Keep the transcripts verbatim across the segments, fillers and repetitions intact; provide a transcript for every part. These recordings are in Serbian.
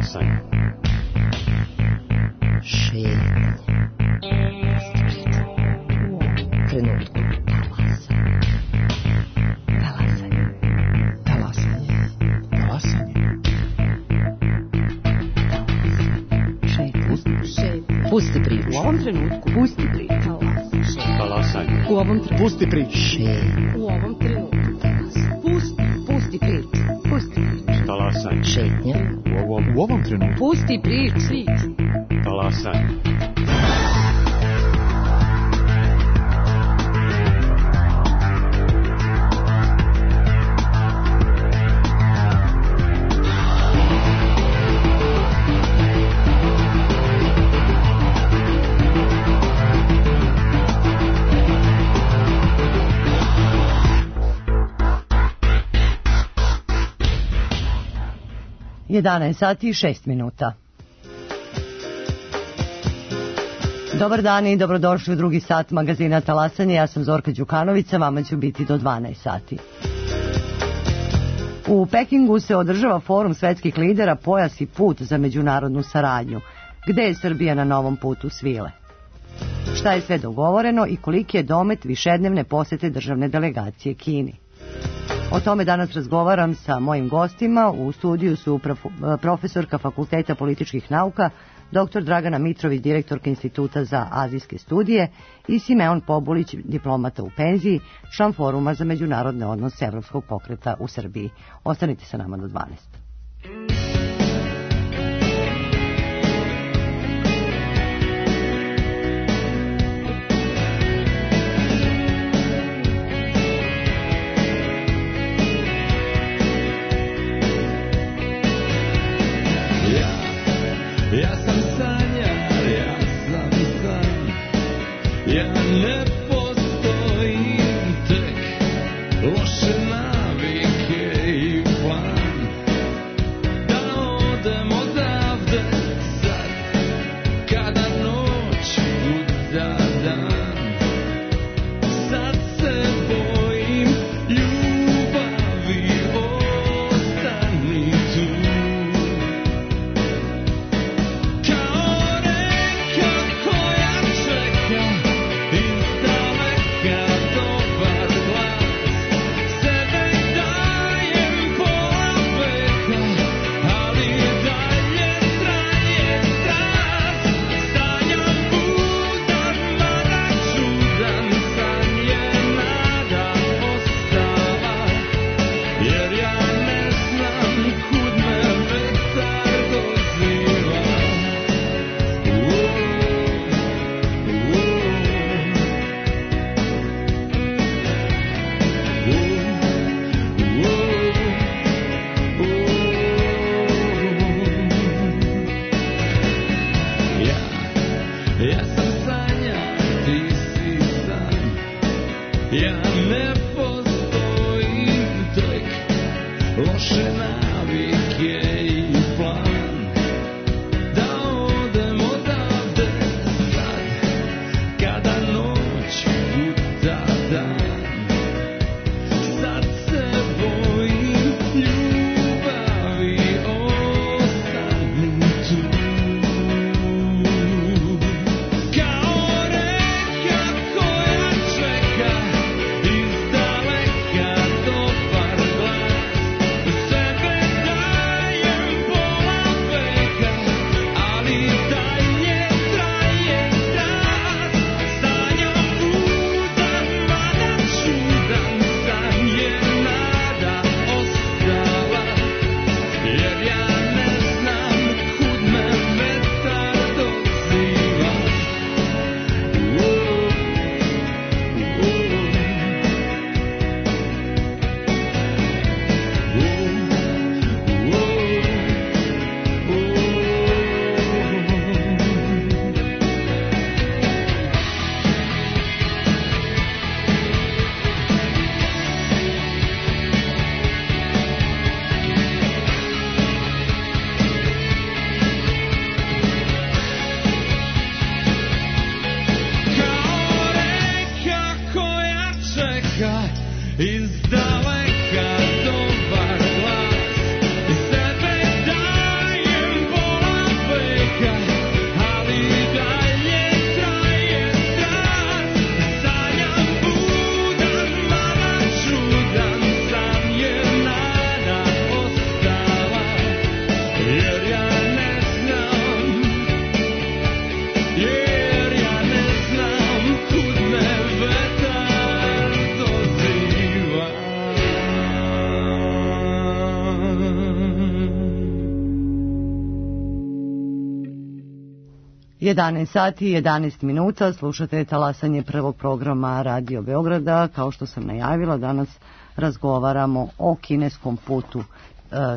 Talasanje. Šetnje. Trenutku. Talasanje. Talasanje. Talasanje. Šetnje. Šetnje. Pusti priču. U ovom trenutku. Pusti priču. Talasanje. U ovom trenutku. Pusti priču. Šetnje. U ovom trenutku. Pusti, pusti priču. Pusti priču. Talasanje. Šetnje. U ovom, u ovom trenutku. Pusti priču. Talasanje. jedanaest sati i šest minuta. Dobar dan i dobrodošli u drugi sat magazina Talasanje. Ja sam Zorka Đukanovića, vama ću biti do dvanaest sati. U Pekingu se održava forum svetskih lidera Pojas i put za međunarodnu saradnju. Gde je Srbija na novom putu svile? Šta je sve dogovoreno i koliki je domet višednevne posete državne delegacije Kini? O tome danas razgovaram sa mojim gostima. U studiju su profesorka Fakulteta političkih nauka, doktor Dragana Mitrović, direktorka Instituta za azijske studije, i Simeon Pobulić, diplomata u penziji, član Foruma za međunarodne odnose Evropskog pokreta u Srbiji. Ostanite sa nama do dvanaest. Ja sam sanjar, ja sam san, ja ne postojim, tek loše navike i plan, da odem odavde sad, kada noć kuca dan, sad se bojim ljubavi, ostani tu. Izdaleka dobar glas i sebe dajem jedanaest sati i jedanaest minuta, slušate talasanje prvog programa Radio Beograda. Kao što sam najavila, danas razgovaramo o kineskom putu e,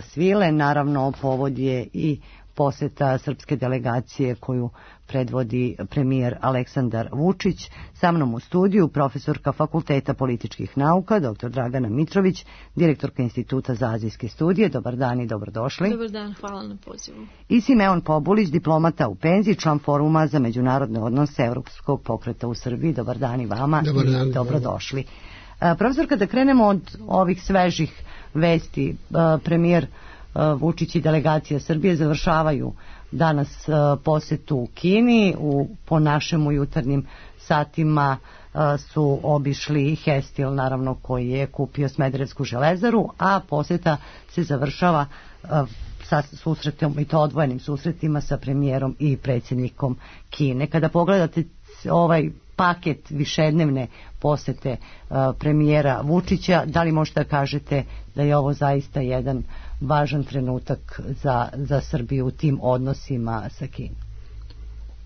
svile. Naravno, povod je i poseta srpske delegacije koju predvodi premijer Aleksandar Vučić. Sa mnom u studiju profesorka Fakulteta političkih nauka, doktor Dragana Mitrović, direktorka Instituta za azijske studije. Dobar dan i dobrodošli. Dobar dan, hvala na pozivu. I Simeon Pobulić, diplomata u penziji, član Foruma za međunarodne odnose Evropskog pokreta u Srbiji. Dobar dan i vama. Dobar dan. I dobrodošli. Profesorka, da krenemo od ovih svežih vesti. Premijer Vučić i delegacija Srbije završavaju danas posetu u Kini. U, po našem u jutarnjim satima su obišli Hestil, naravno, koji je kupio Smederevsku železaru, a poseta se završava sa susretom, i to odvojenim susretima sa premijerom i predsjednikom Kine. Kada pogledate ovaj paket višednevne posete uh, premijera Vučića, da li možete da kažete da je ovo zaista jedan važan trenutak za, za Srbiju u tim odnosima sa Kinom?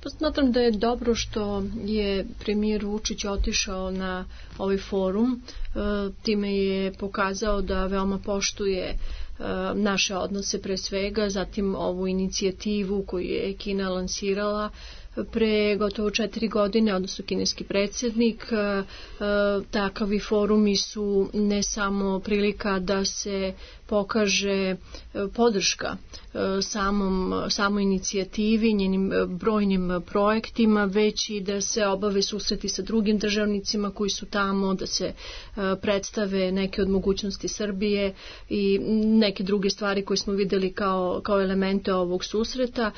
Pa smatram da je dobro što je premijer Vučić otišao na ovaj forum. E, time je pokazao da veoma poštuje e, naše odnose pre svega, zatim ovu inicijativu koju je Kina lansirala pre gotovo četiri godine, odnosno kineski predsjednik. E, takavi forumi su ne samo prilika da se pokaže podrška samom, samoj inicijativi, njenim brojnim projektima, već i da se obave susreti sa drugim državnicima koji su tamo, da se predstave neke od mogućnosti Srbije i neke druge stvari koje smo videli kao, kao elemente ovog susreta.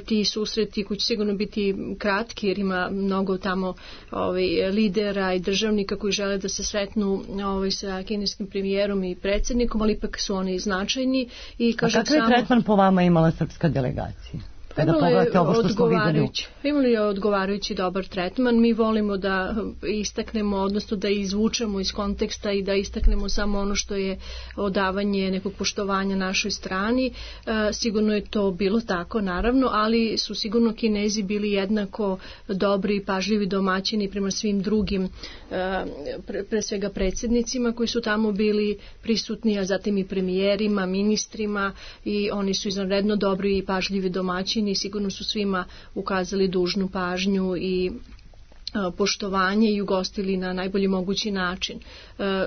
Ti susreti koji će sigurno biti kratki, jer ima mnogo tamo ovaj, lidera i državnika koji žele da se sretnu ovaj, sa kineskim premijerom i predsjednikom, ali ipak su oni značajni. I kažem, a kakav je samo, tretman po vama imala srpska delegacija? Kada pogledate ovo što smo vidjeli. Imali je odgovarajući dobar tretman. Mi volimo da istaknemo, odnosno da izvučemo iz konteksta i da istaknemo samo ono što je odavanje nekog poštovanja našoj strani. E, sigurno je to bilo tako, naravno, ali su sigurno Kinezi bili jednako dobri i pažljivi domaćini prema svim drugim, e, pre, pre svega predsjednicima koji su tamo bili prisutni, a zatim i premijerima, ministrima, i oni su izvanredno dobri i pažljivi domaćini i sigurno su svima ukazali dužnu pažnju i poštovanje i ugostili na najbolji mogući način.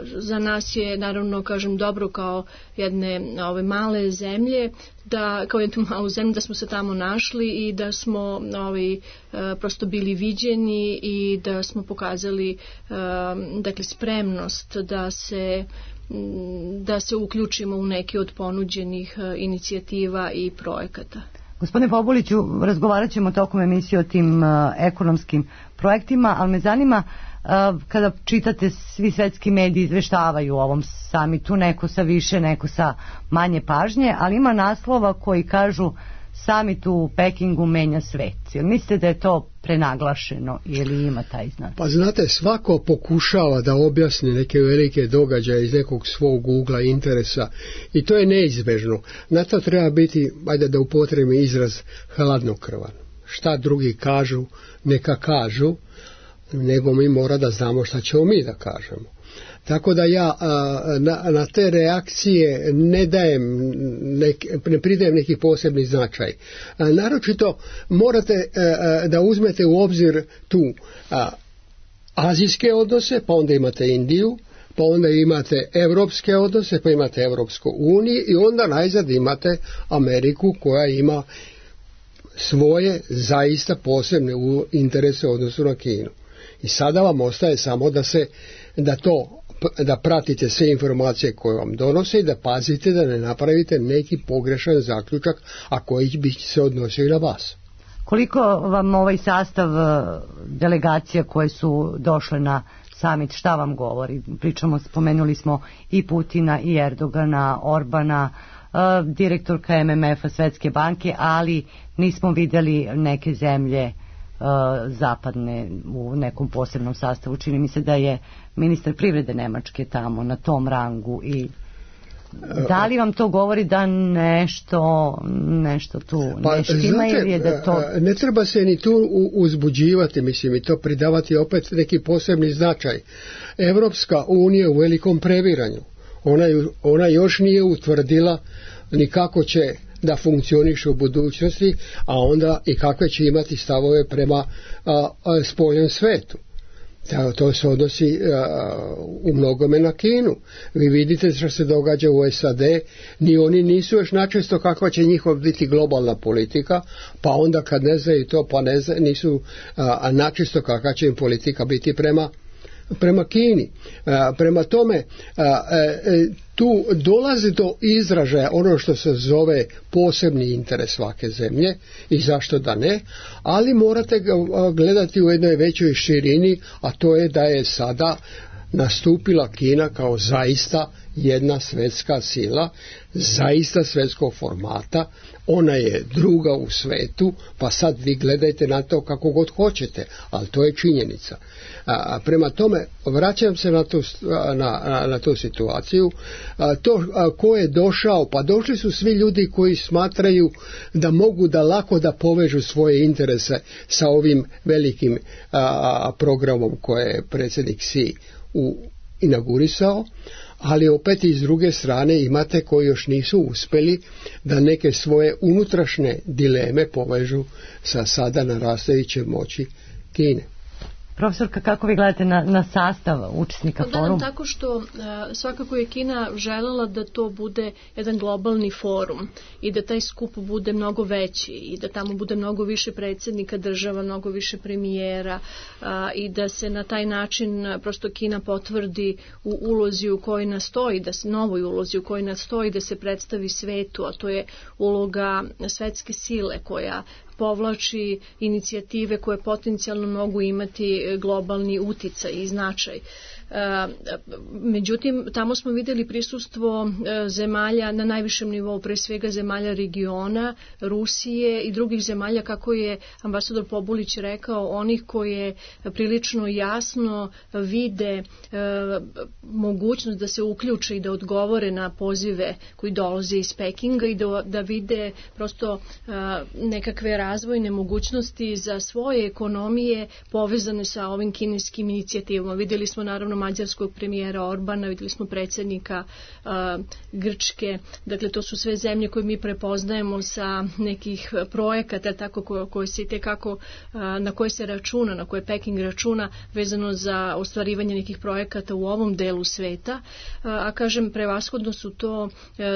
Za nas je, naravno, kažem, dobro kao jedne ove male zemlje, da kao jednu malu zemlju da smo se tamo našli i da smo ovaj, prosto bili viđeni i da smo pokazali dakle spremnost da se da se uključimo u neke od ponuđenih inicijativa i projekata. Gospodine Pobuliću, razgovarat ćemo tokom emisije o tim uh, ekonomskim projektima, ali me zanima uh, kada čitate, svi svetski mediji izveštavaju o ovom samitu, neko sa više, neko sa manje pažnje, ali ima naslova koji kažu samit u Pekingu menja svet. Jel mislite da je to prenaglašeno ili ima taj znak? Pa znate, svako pokušava da objasni neke velike događaje iz nekog svog ugla interesa i to je neizbežno. Na to treba biti, ajde da upotrebim izraz, hladnokrvan. Šta drugi kažu, neka kažu, nego mi mora da znamo šta ćemo mi da kažemo. Tako da ja na, na te reakcije ne dajem, nek, ne pridajem neki posebni značaj. Naročito morate da uzmete u obzir tu azijske odnose, pa onda imate Indiju, pa onda imate evropske odnose, pa imate Evropsku uniju i onda najzad imate Ameriku koja ima svoje zaista posebne interese u odnosu na Kinu. I sada vam ostaje samo da se da to da pratite sve informacije koje vam donose i da pazite da ne napravite neki pogrešan zaključak, a koji bi se odnosio i na vas. Koliko vam ovaj sastav delegacija koje su došle na samit, šta vam govori? Pričamo, spomenuli smo i Putina i Erdogana, Orbana, direktorka M M F-a, Svetske banke, ali nismo vidjeli neke zemlje zapadne u nekom posebnom sastavu. Čini mi se da je ministar privrede Nemačke tamo na tom rangu i Da li vam to govori da nešto, nešto tu pa, ne štima ili je da to... Ne treba se ni tu uzbuđivati, mislim, i to pridavati opet neki posebni značaj. Evropska unija u velikom previranju. Ona, ona još nije utvrdila ni kako će da funkcioniše u budućnosti, a onda i kakve će imati stavove prema a, a, spoljnom svetu. To se odnosi a, u mnogome na Kinu. Vi vidite što se događa u S A D, ni oni nisu još načesto kakva će njihov biti globalna politika, pa onda kad ne znaju to, pa ne znaju, nisu a, a načesto kakva će im politika biti prema prema Kini. A, prema tome a, a, tu dolazi do izražaja ono što se zove posebni interes svake zemlje i zašto da ne, ali morate ga gledati u jednoj većoj širini, a to je da je sada nastupila Kina kao zaista jedna svjetska sila, zaista svjetskog formata, ona je druga u svetu, pa sad vi gledajte na to kako god hoćete, ali to je činjenica. A, prema tome, vraćam se na tu, na, na, na tu situaciju, a, to a, ko je došao, pa došli su svi ljudi koji smatraju da mogu da lako da povežu svoje interese sa ovim velikim a, programom koje je predsjednik Xi u, inaugurisao, ali opet i s druge strane imate koji još nisu uspjeli da neke svoje unutrašnje dileme povežu sa sada narastajućem moći Kine. Profesorka, kako vi gledate na, na sastav učesnika foruma? foruma? Tako što uh, svakako je Kina željela da to bude jedan globalni forum i da taj skup bude mnogo veći i da tamo bude mnogo više predsjednika država, mnogo više premijera uh, i da se na taj način uh, prosto Kina potvrdi u ulozi u kojoj nastoji, da se novoj ulozi u kojoj nastoji da se predstavi svetu, a to je uloga svetske sile koja povlači inicijative koje potencijalno mogu imati globalni uticaj i značaj. Međutim, tamo smo vidjeli prisustvo zemalja na najvišem nivou, pre svega zemalja regiona, Rusije i drugih zemalja, kako je ambasador Pobulić rekao, onih koje prilično jasno vide mogućnost da se uključe i da odgovore na pozive koji dolaze iz Pekinga i da, da vide prosto nekakve razvojne mogućnosti za svoje ekonomije povezane sa ovim kineskim inicijativama. Vidjeli smo naravno mađarskog premijera Orbana, vidjeli smo predsjednika uh, Grčke, dakle to su sve zemlje koje mi prepoznajemo sa nekih projekata tako koje, koje se itekako, uh, na koje se računa, na koje Peking računa vezano za ostvarivanje nekih projekata u ovom delu sveta, uh, a kažem prevashodno su to uh,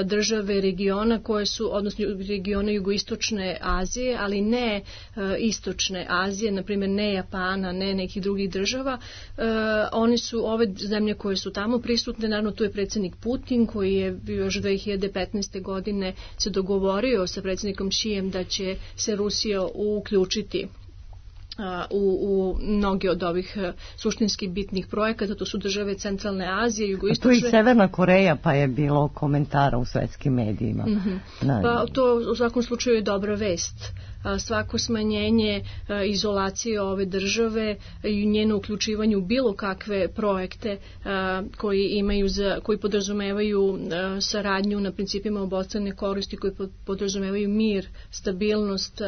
države regiona koje su, odnosno regione jugoistočne Azije, ali ne uh, istočne Azije, na primjer ne Japana, ne nekih drugih država. Uh, oni su ove zemlje koje su tamo prisutne, naravno tu je predsjednik Putin koji je još dve hiljade petnaeste. godine se dogovorio sa predsjednikom Xijem da će se Rusija uključiti u, u mnoge od ovih suštinski bitnih projekata. To su države Centralne Azije, jugoistočne. Tu i Severna Koreja, pa je bilo komentara u svetskim medijima. Mm-hmm. Pa to u svakom slučaju je dobra vest. Svako smanjenje izolacije ove države i njeno uključivanje u bilo kakve projekte koji imaju za, koji podrazumevaju saradnju na principima obostrane koristi, koji podrazumevaju mir, stabilnost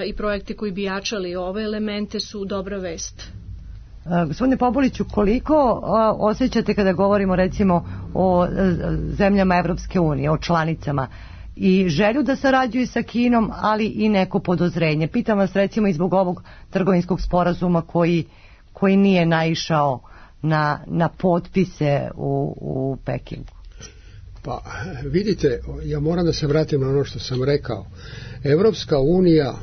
i projekte koji bi jačali ove elemente su dobra vest. Gospodine Pobuliću, koliko osjećate kada govorimo recimo o zemljama Evropske unije, o članicama, i želju da sarađuju sa Kinom, ali i neko podozrenje? Pitam vas recimo i zbog ovog trgovinskog sporazuma koji, koji nije naišao na, na potpise u, u Pekingu. Pa vidite, ja moram da se vratim na ono što sam rekao. Evropska unija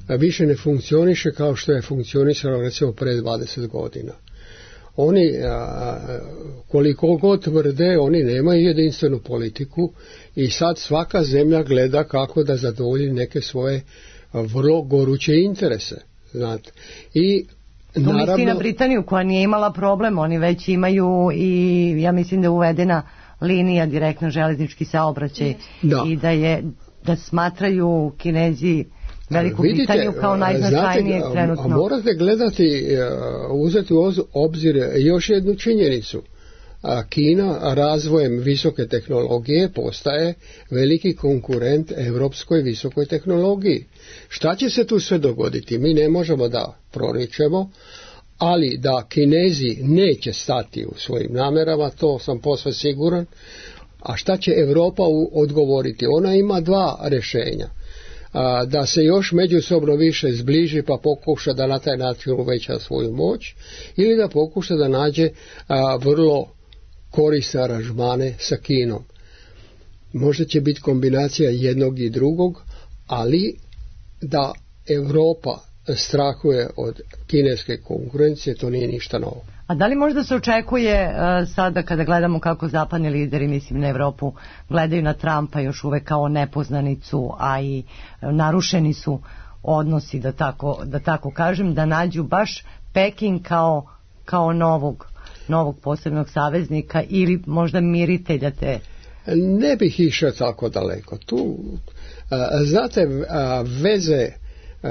više ne funkcioniše kao što je funkcionisala recimo pre dvadeset godina. Oni, koliko god tvrde, oni nemaju jedinstvenu politiku i sad svaka zemlja gleda kako da zadovolji neke svoje vrlo goruće interese. Znate. I to naravno, misli na Britaniju koja nije imala problem, oni već imaju i ja mislim da je uvedena linija direktno železnički saobraćaj da. I da je da smatraju Kinezi Veliku Vidite, Britaniju kao najznačajnijeg trenutno. A morate gledati, uzeti u obzir još jednu činjenicu. a Kina razvojem visoke tehnologije postaje veliki konkurent evropskoj visokoj tehnologiji. Šta će se tu sve dogoditi? Mi ne možemo da proričemo, ali da Kinezi neće stati u svojim namerama, to sam posve siguran. A šta će Evropa odgovoriti? Ona ima dva rješenja. A, da se još međusobno više zbliži pa pokuša da na taj način uveća svoju moć, ili da pokuša da nađe a, vrlo korisne aranžmane sa Kinom. Možda će biti kombinacija jednog i drugog, ali da Evropa strahuje od kineske konkurencije, to nije ništa novo. A da li možda se očekuje uh, sada kada gledamo kako zapadni lideri, mislim na Evropu, gledaju na Trumpa još uvek kao nepoznanicu, a i uh, narušeni su odnosi, da tako, da tako kažem, da nađu baš Peking kao, kao novog, novog posebnog saveznika ili možda miritelja te? Ne bih išao tako daleko. Tu, uh, znate, uh, veze uh,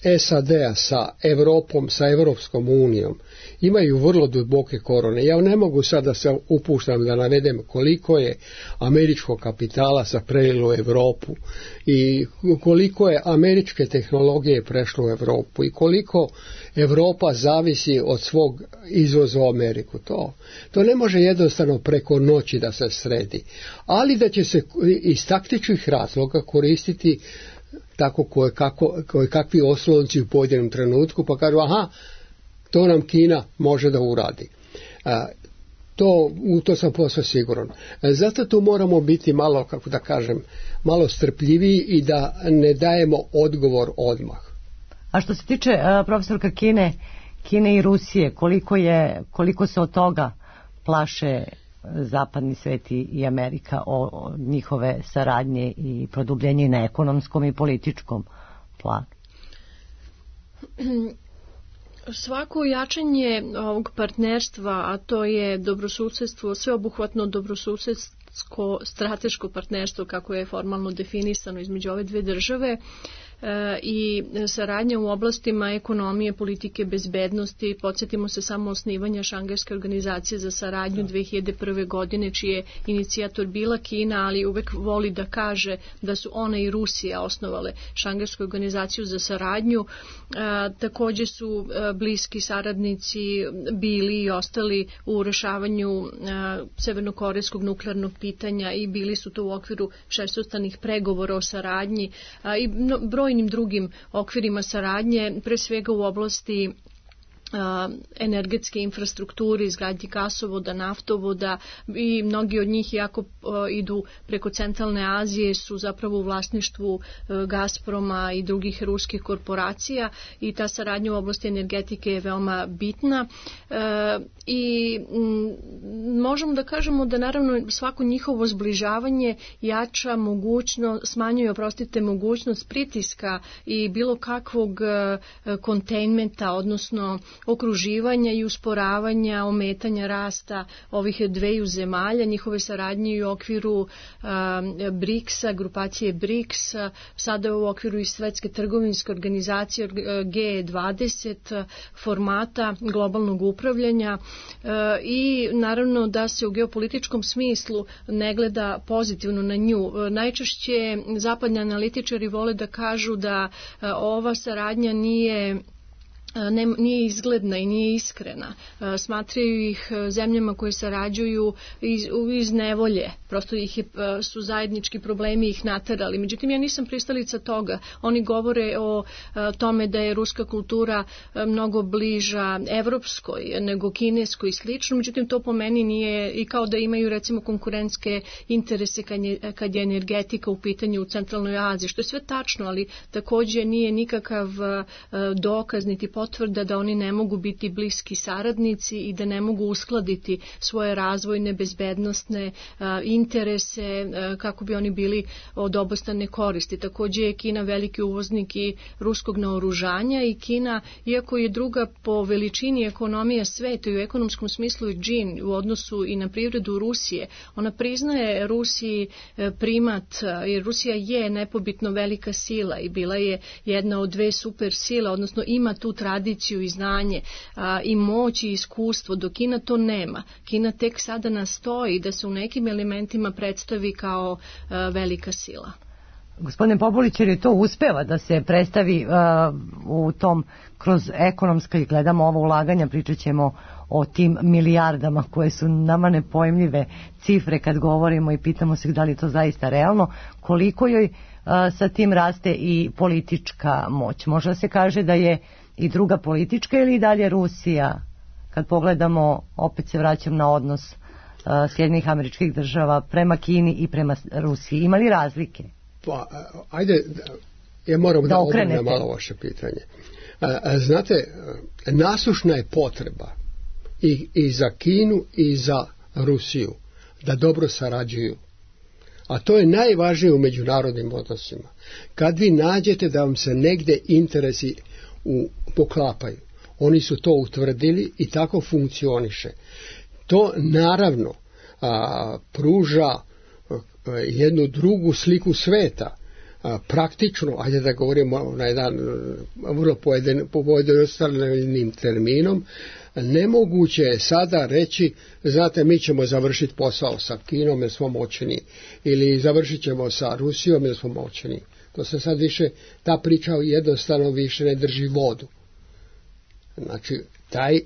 S A D-a sa Evropom, sa Evropskom unijom imaju vrlo duboke korone. Ja ne mogu sad da se upuštam da navedem koliko je američkog kapitala se prelilo u Evropu i koliko je američke tehnologije prešlo u Evropu i koliko Evropa zavisi od svog izvoza u Ameriku. To, to ne može jednostavno preko noći da se sredi. Ali da će se iz taktičkih razloga koristiti tako koje, kako, koje kakvi oslonci u pojedinom trenutku, pa kažu aha, to nam Kina može da uradi. A, to, u to sam posve siguran. A, zato tu moramo biti malo, kako da kažem, malo strpljiviji i da ne dajemo odgovor odmah. A što se tiče uh, profesorka Kine, Kine i Rusije, koliko, je, koliko se od toga plaše zapadni svet i Amerika o, o njihove saradnje i produbljenje na ekonomskom i političkom planu? Svako jačanje ovog partnerstva, a to je dobrosusedstvo, sveobuhvatno dobrosusedsko strateško partnerstvo kako je formalno definisano između ove dve države, i saradnja u oblastima ekonomije, politike, bezbednosti. Podsjetimo se samo osnivanja Šangajske organizacije za saradnju dve hiljade prve. godine, čiji je inicijator bila Kina, ali uvek voli da kaže da su ona i Rusija osnovale Šangajsku organizaciju za saradnju. A, također su a, bliski saradnici bili i ostali u rešavanju a, severnokorejskog nuklearnog pitanja i bili su to u okviru šestostranih pregovora o saradnji a, i no, broj brojnim drugim okvirima saradnje, pre svega u oblasti a, energetske infrastrukture, izgradnji gasovoda, naftovoda i mnogi od njih jako a, idu preko centralne Azije, su zapravo u vlasništvu a, Gazproma i drugih ruskih korporacija i ta saradnja u oblasti energetike je veoma bitna a, i m, možemo da kažemo da naravno svako njihovo zbližavanje jača mogućnost, smanjuje, oprostite, mogućnost pritiska i bilo kakvog kontejnmenta, odnosno okruživanja i usporavanja, ometanja rasta ovih dveju zemalja, njihove saradnje u okviru a, briksa, grupacije briks, sada u okviru i Svetske trgovinske organizacije G dvadeset formata globalnog upravljanja a, i naravno da se u geopolitičkom smislu ne gleda pozitivno na nju. Najčešće zapadni analitičari vole da kažu da a, ova saradnja nije Ne, nije izgledna i nije iskrena. Smatraju ih zemljama koje sarađuju iz, iz nevolje. Prosto ih je, su zajednički problemi ih naterali. Međutim, ja nisam pristalica toga. Oni govore o tome da je ruska kultura mnogo bliža evropskoj nego kineskoj i slično. Međutim, to po meni nije i kao da imaju recimo konkurentske interese kad je, kad je energetika u pitanju u centralnoj Aziji. Što je sve tačno, ali također nije nikakav dokaz niti potvrda da oni ne mogu biti bliski saradnici i da ne mogu uskladiti svoje razvojne, bezbednostne a, interese a, kako bi oni bili od obostrane koristi. Također je Kina veliki uvoznik i ruskog naoružanja i Kina, iako je druga po veličini ekonomija sveta i u ekonomskom smislu je džin u odnosu i na privredu Rusije, ona priznaje Rusiji primat, jer Rusija je nepobitno velika sila i bila je jedna od dve super sile, odnosno ima tu tradiciju tradiciju i znanje a, i moć i iskustvo, dok Kina to nema. Kina tek sada nastoji da se u nekim elementima predstavi kao a, velika sila. Gospodine Popović, jer je to uspeva da se predstavi uh, u tom, kroz ekonomska, i gledamo ovo ulaganja, pričat ćemo o tim milijardama koje su nama nepojmljive cifre kad govorimo i pitamo se da li je to zaista realno, koliko joj uh, sa tim raste i politička moć. Možda se kaže da je i druga politička ili i dalje Rusija, kad pogledamo, opet se vraćam na odnos uh, Sjedinjenih Američkih Država prema Kini i prema Rusiji. Ima li razlike? Pa, ajde, ja moram da, da obrnem malo vaše pitanje. Znate, nasušna je potreba i, i za Kinu i za Rusiju da dobro sarađuju. A to je najvažnije u međunarodnim odnosima. Kad vi nađete da vam se negde interesi u, poklapaju, oni su to utvrdili i tako funkcioniše. To naravno a, pruža jednu drugu sliku sveta, a, praktično, ajde da govorimo na jedan vrlo pojednostavljenim terminom, nemoguće je sada reći, znate, mi ćemo završiti posao sa Kinom jer smo moćni, ili završit ćemo sa Rusijom jer smo moćni. To se sad više, ta priča jednostavno više ne drži vodu. Znači, taj,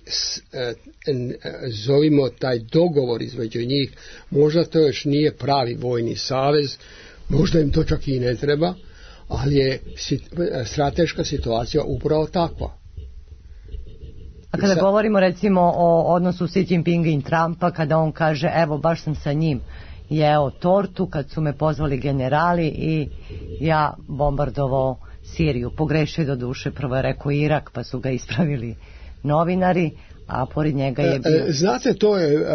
zovimo taj dogovor između njih, možda to još nije pravi vojni savez, možda im to čak i ne treba, ali je strateška situacija upravo takva. A kada govorimo recimo o odnosu Xi Jinpinga i Trumpa, kada on kaže evo baš sam sa njim jeo tortu kad su me pozvali generali i ja bombardovao Siriju, pogrešio do duše, prvo je rekao Irak pa su ga ispravili novinari, a pored njega je bio... Znate, to je,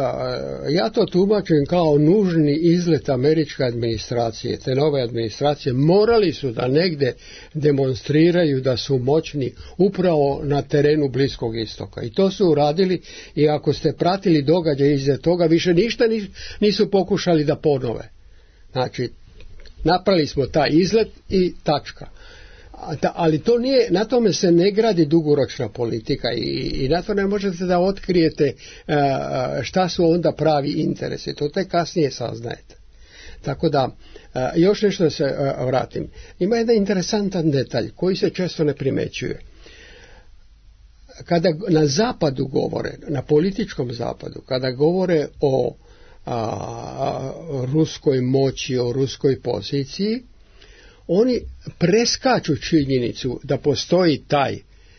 ja to tumačim kao nužni izlet američke administracije, te nove administracije. Morali su da negde demonstriraju da su moćni upravo na terenu Bliskog istoka. I to su uradili, i ako ste pratili događaje iza toga, više ništa nisu pokušali da ponove. Znači, napravili smo taj izlet i tačka. Ali to nije, na tome se ne gradi dugoročna politika i, i na to ne možete da otkrijete uh, šta su onda pravi interesi. To tek kasnije saznajete. Tako da, uh, još nešto da se uh, vratim. Ima jedan interesantan detalj koji se često ne primećuje. Kada na zapadu govore, na političkom zapadu, kada govore o a, ruskoj moći, o ruskoj poziciji, oni preskaču činjenicu da postoji taj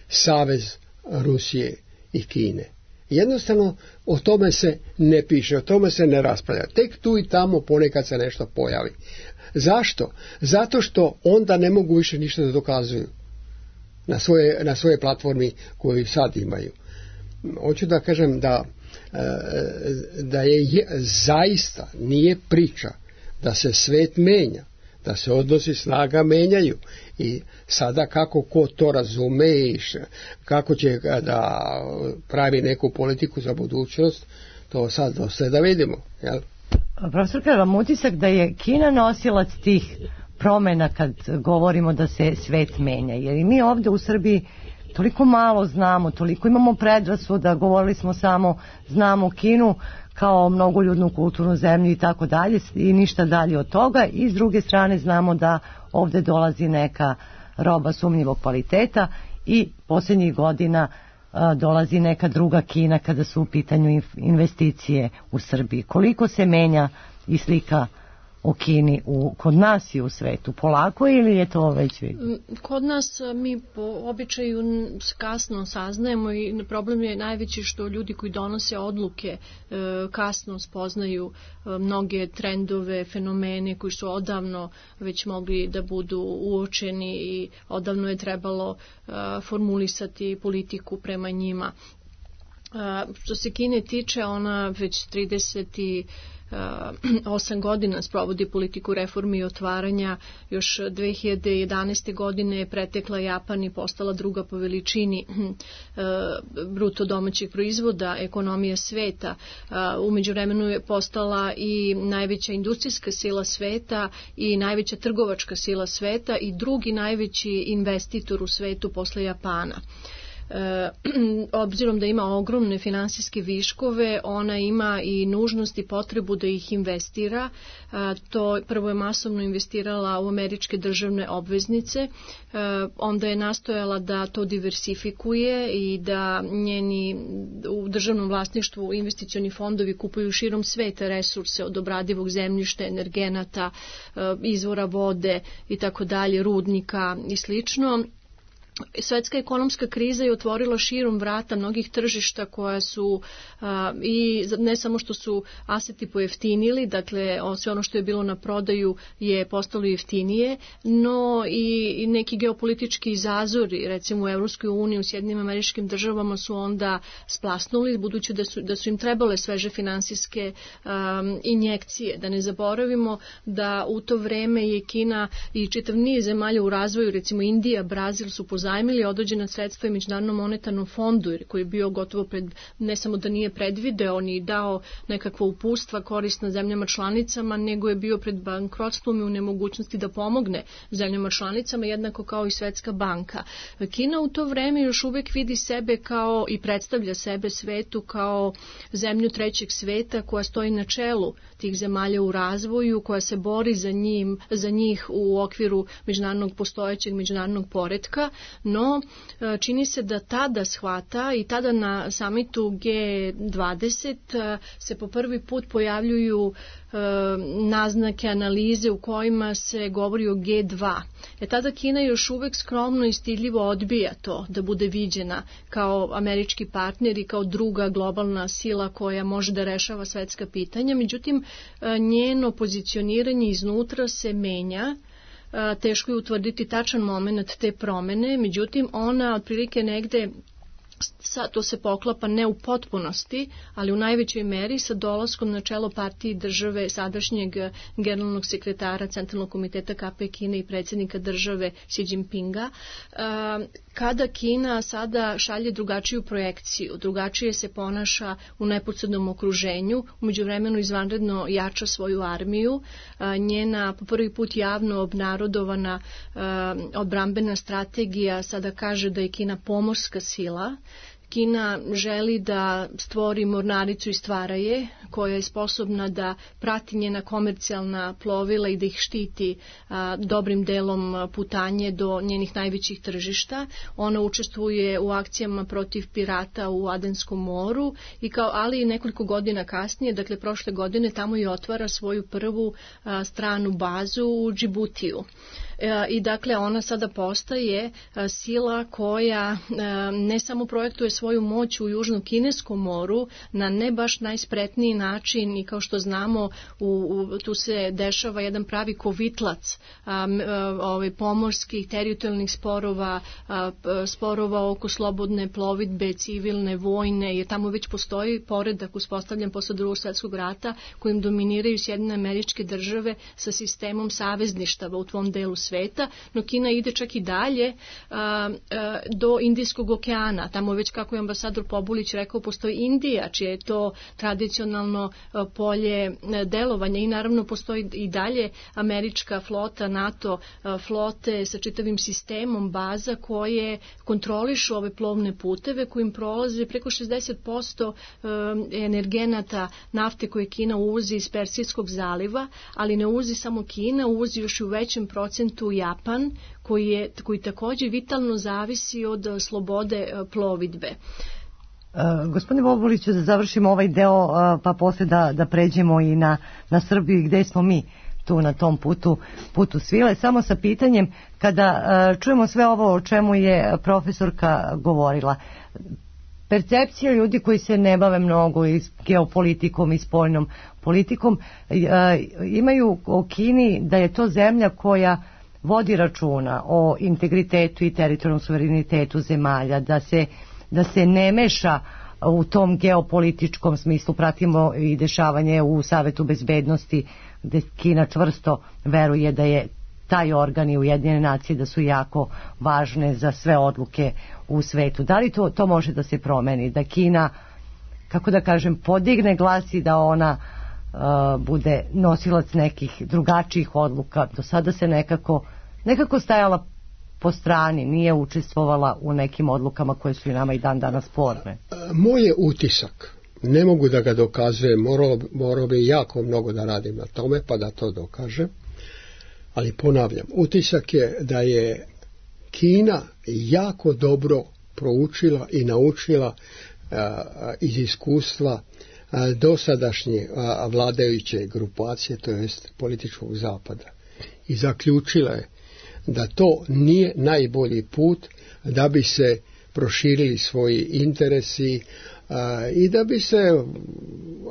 savez Rusije i Kine. Jednostavno o tome se ne piše, o tome se ne raspravlja. Tek tu i tamo ponekad se nešto pojavi. Zašto? Zato što onda ne mogu više ništa da dokazuju na svoje, na svoje platformi koju sad imaju. Hoću da kažem da, da je zaista nije priča da se svet menja, da se odnosi snaga menjaju i sada kako ko to razume i kako će da pravi neku politiku za budućnost, to sad dosta da vidimo. Jel? Profesor, kada vam utisak da je Kina nosilac tih promjena kad govorimo da se svet menja, jer i mi ovdje u Srbiji toliko malo znamo, toliko imamo predrasuda, govorili smo samo znamo Kinu kao mnogoljudnu kulturnu zemlju i tako dalje i ništa dalje od toga, i s druge strane znamo da ovdje dolazi neka roba sumnjivog kvaliteta i posljednjih godina a, dolazi neka druga Kina kada su u pitanju investicije u Srbiji. Koliko se menja i slika o Kini u, kod nas i u svetu? Polako ili je to već vidno? Kod nas mi po običaju kasno saznajemo i problem je najveći što ljudi koji donose odluke kasno spoznaju mnoge trendove, fenomene koji su odavno već mogli da budu uočeni i odavno je trebalo formulisati politiku prema njima. Što se Kine tiče, ona već trideset osam godina sprovodi politiku reformi i otvaranja. Još dve hiljade jedanaeste. godine je pretekla Japan i postala druga po veličini bruto domaćeg proizvoda, ekonomija sveta. U međuvremenu je postala i najveća industrijska sila sveta i najveća trgovačka sila sveta i drugi najveći investitor u svetu posle Japana. e, obzirom da ima ogromne finansijske viškove, ona ima i nužnost i potrebu da ih investira. E, to prvo je masovno investirala u američke državne obveznice, e, onda je nastojala da to diversifikuje i da njeni u državnom vlasništvu investicioni fondovi kupuju širom sveta resurse od obradivog zemljišta, energenata, izvora vode i tako dalje, rudnika i slično. Svetska ekonomska kriza je otvorila širom vrata mnogih tržišta koja su a, i ne samo što su aseti pojeftinili, dakle sve ono što je bilo na prodaju je postalo jeftinije, no i, i neki geopolitički zazori, recimo u Evropskoj uniji, u Sjedinjenim Američkim Državama su onda splasnuli, budući da su, da su im trebale sveže finansijske um, injekcije. Da ne zaboravimo da u to vreme je Kina i čitav niz zemalja u razvoju, recimo Indija, Brazil su pozajmili određena sredstva i Međunarodnom monetarnom fondu, koji je bio gotovo pred, ne samo da nije predvideo ni dao nekakva upustva korisna zemljama članicama, nego je bio pred bankrotstvom i u nemogućnosti da pomogne zemljama članicama, jednako kao i Svetska banka. Kina u to vreme još uvek vidi sebe kao i predstavlja sebe svetu kao zemlju trećeg sveta koja stoji na čelu tih zemalja u razvoju, koja se bori za, njim, za njih u okviru međunarodnog postojećeg međunarodnog poretka. No, čini se da tada shvata i tada na samitu G dvadeset se po prvi put pojavljuju e, naznake, analize u kojima se govori o G dva. E tada Kina još uvek skromno i stidljivo odbija to da bude viđena kao američki partner i kao druga globalna sila koja može da rešava svetska pitanja. Međutim, njeno pozicioniranje iznutra se menja. Teško je utvrditi tačan moment te promene, međutim ona otprilike negde, to se poklapa ne u potpunosti, ali u najvećoj meri sa dolaskom na čelo partije države sadašnjeg generalnog sekretara Centralnog komiteta K P Kine i predsjednika države Xi Jinpinga, kada Kina sada šalje drugačiju projekciju, drugačije se ponaša u neposrednom okruženju, u međuvremenu izvanredno jača svoju armiju, njena po prvi put javno obnarodovana odbrambena strategija sada kaže da je Kina pomorska sila. Kina želi da stvori mornaricu i stvara je, koja je sposobna da prati njena komercijalna plovila i da ih štiti a, dobrim delom putanje do njenih najvećih tržišta. Ona učestvuje u akcijama protiv pirata u Adenskom moru, i kao, ali i nekoliko godina kasnije, dakle prošle godine, tamo i otvara svoju prvu a, stranu bazu u Džibutiju. I dakle ona sada postaje sila koja ne samo projektuje svoju moć u Južnom Kineskom moru na ne baš najspretniji način, i kao što znamo u, u, tu se dešava jedan pravi kovitlac a, ovaj, pomorskih teritorijalnih sporova, a, sporova oko slobodne plovidbe, civilne, vojne, jer tamo već postoji poredak uspostavljen posle Drugog svjetskog rata kojim dominiraju Sjedinjene Američke Države sa sistemom savezništava u tvom delu sveta, no Kina ide čak i dalje a, a, do Indijskog okeana. Tamo već, kako je ambasador Pobulić rekao, postoji Indija, čije je to tradicionalno a, polje a, delovanja, i naravno postoji i dalje američka flota, NATO a, flote sa čitavim sistemom baza koje kontrolišu ove plovne puteve kojim prolaze preko šezdeset posto a, energenata nafte koje Kina uvozi iz Persijskog zaliva, ali ne uvozi samo Kina, uvozi još i u većem procentu Japan, koji, je, koji također vitalno zavisi od slobode plovidbe. Uh, gospodine Bobuliću, da završimo ovaj deo, uh, pa posle da, da pređemo i na, na Srbiju, gde smo mi tu na tom putu, putu svile. Samo sa pitanjem, kada uh, čujemo sve ovo o čemu je profesorka govorila, percepcija ljudi koji se ne bave mnogo i geopolitikom i spoljnom politikom imaju o Kini da je to zemlja koja vodi računa o integritetu i teritorijalnom suverenitetu zemalja, da se, da se ne meša u tom geopolitičkom smislu. Pratimo i dešavanje u Savetu bezbednosti, gde Kina čvrsto veruje da je taj organ i Ujedinjene nacije da su jako važne za sve odluke u svetu. Da li to, to može da se promeni? Da Kina, kako da kažem, podigne glas i da ona uh, bude nosilac nekih drugačijih odluka? Do sada se nekako, nekako stajala po strani, nije učestvovala u nekim odlukama koje su i nama i dan danas sporne? Moj je utisak, ne mogu da ga dokazujem, morao, morao bi jako mnogo da radim na tome pa da to dokažem, ali ponavljam, utisak je da je Kina jako dobro proučila i naučila a, iz iskustva a, dosadašnje a, vladajuće grupacije, to jest političkog zapada, i zaključila je da to nije najbolji put da bi se proširili svoji interesi a, i da bi se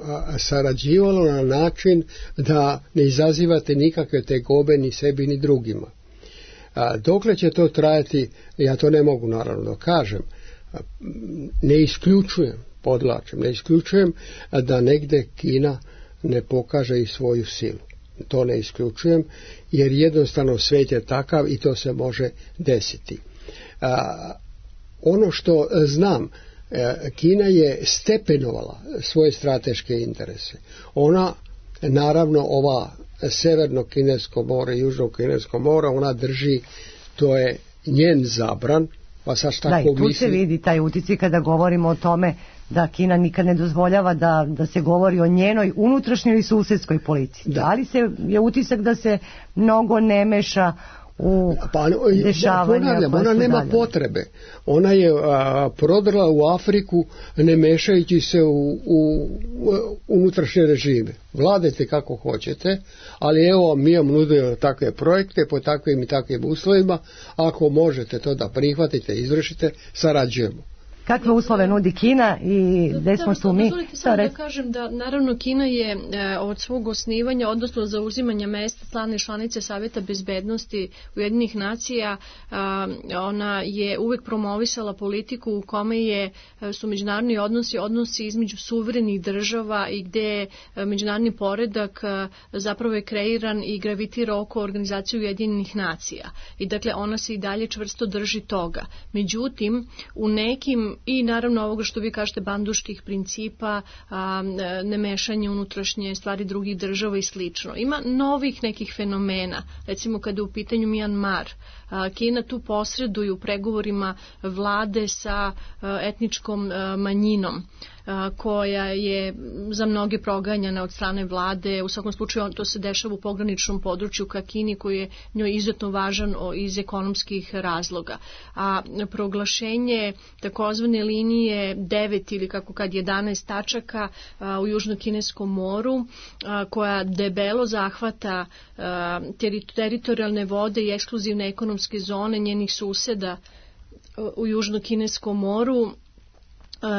a, sarađivalo na način da ne izazivate nikakve tegobe ni sebi ni drugima. A, dokle će to trajati, ja to ne mogu naravno da kažem, a, ne isključujem, podlačem, ne isključujem da negde Kina ne pokaže i svoju silu. To ne isključujem, jer jednostavno svijet je takav i to se može desiti. A, ono što znam, Kina je stepenovala svoje strateške interese. Ona, naravno, ova severno kinesko more i južno kinesko more, ona drži, to je njen zabran, pa sad šta da, ko i tu misli... se vidi taj uticaj kada govorimo o tome da Kina nikad ne dozvoljava da, da se govori o njenoj unutrašnjoj i susedskoj politici. Da. Ali se je utisak da se mnogo ne meša u pa, dešavanja. Ponavljam, ona nema dalje potrebe. Ona je a, prodrla u Afriku ne mešajući se u, u, u unutrašnje režime. Vladajte kako hoćete, ali evo mi vam nudimo takve projekte po takvim i takvim uslovima. Ako možete to da prihvatite, izvršite, sarađujemo. Kakve uslove nudi Kina i gde smo tu mi? Dozvolite samo da kažem da naravno Kina je e, od svog osnivanja, odnosno zauzimanja mesta stalne članice Saveta bezbednosti Ujedinjenih nacija, a, ona je uvek promovisala politiku u kome je, su međunarodni odnosi, odnosi između suverenih država i gde je međunarodni poredak a, zapravo je kreiran i gravitira oko organizacije Ujedinjenih nacija. I dakle ona se i dalje čvrsto drži toga. Međutim, u nekim i naravno ovoga što vi kažete banduških principa, a, ne mešanje unutrašnje stvari drugih država i slično. Ima novih nekih fenomena, recimo kada je u pitanju Mjanmar. A, Kina tu posreduje u pregovorima vlade sa a, etničkom a, manjinom koja je za mnoge proganjana od strane vlade. U svakom slučaju to se dešava u pograničnom području ka Kini koji je njoj izuzetno važan iz ekonomskih razloga. A proglašenje takozvane linije devet ili kako kad jedanaest tačaka a, u južno-kineskom moru a, koja debelo zahvata a, teritorijalne vode i ekskluzivne ekonomske zone njenih suseda a, u južno-kineskom moru